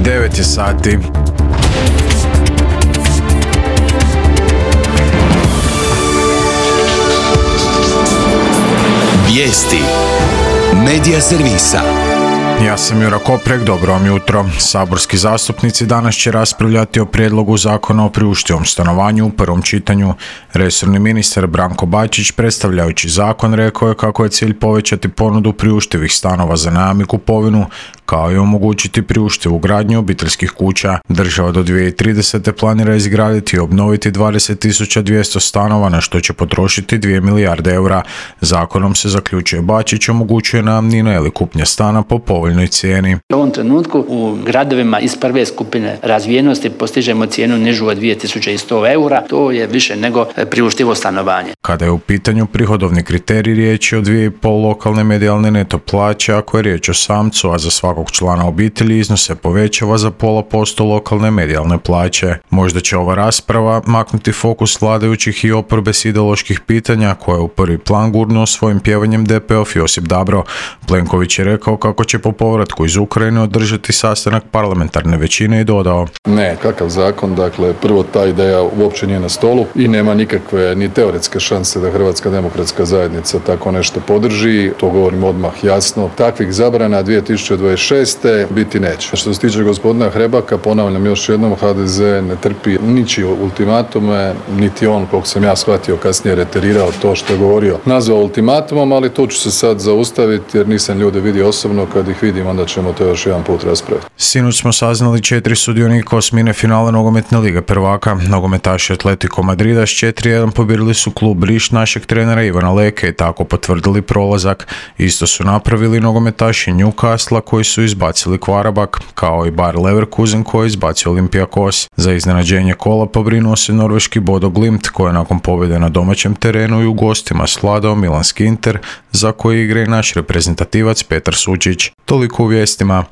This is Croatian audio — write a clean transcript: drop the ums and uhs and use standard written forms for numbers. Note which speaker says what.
Speaker 1: 9 je sati.
Speaker 2: Vijesti Medija servisa.
Speaker 1: Ja sam Jura Koprek, dobro vam jutro. Saborski zastupnici danas će raspravljati o prijedlogu zakona o priuštivom stanovanju u prvom čitanju. Resorni ministar Branko Bačić, predstavljajući zakon, rekao je kako je cilj povećati ponudu priuštivih stanova za najam i kupovinu, kao i omogućiti priuštivu gradnju obiteljskih kuća. Država do 2030. planira izgraditi i obnoviti 20.200 stanova, na što će potrošiti 2 milijarde eura. Zakonom, se zaključuje Bačić, omogućuje najamnina ili kupnja stana po povoljnoj cijeni.
Speaker 3: U ovom trenutku u gradovima iz prve skupine razvijenosti postižemo cijenu nižu od 2100 eura. To je više nego priuštivo stanovanje.
Speaker 1: Kada je u pitanju prihodovni kriterij, riječ je o 2,5 lokalne medijalne neto plaće, ako je riječ o samcu, a za svakog člana obitelji iznos se povećava za 0,5% lokalne medijalne plaće. Možda će ova rasprava maknuti fokus vladajućih i oporbe s ideoloških pitanja, koje je u prvi plan gurnuo svojim pjevanjem DP-ov Josip Dabro. Plenković je rekao kako će po povratku iz Ukrajine održati sastanak parlamentarne većine i dodao:
Speaker 4: Ne, kakav zakon, dakle prvo ta ideja uopće nije na stolu i nema nikakve ni teoretske šanse da Hrvatska demokratska zajednica tako nešto podrži, to govorim odmah jasno. Takvih zabrana 2026. biti neće. Što se tiče gospodina Hrebaka, ponavljam još jednom, HDZ ne trpi ničije ultimatume, niti on, koliko sam ja shvatio, kasnije reterirao to što je govorio, nazvao ultimatumom, ali tu ću se sad zaustaviti jer nisam ljude vidio osobno, kad ih vidim onda ćemo to još jedan put raspraviti.
Speaker 1: Sinoć smo saznali 4 sudionika osmine finala nogometne lige prvaka. Nogometaši Atletico Madrida s 4:1 pobjedili su klub Riš našeg trenera Ivana Leke i tako potvrdili prolazak. Isto su napravili nogometaši Newcastle koji su izbacili Kvarabak, kao i Bayer Leverkusen koji je izbacio Olympiakos. Za iznenađenje kola pobrinuo se norveški Bodo Glimt, koji je nakon pobjede na domaćem terenu i u gostima svladao milanski Inter, za koji igra i naš reprezentativac Petar Sučić. Toliko u vijestima.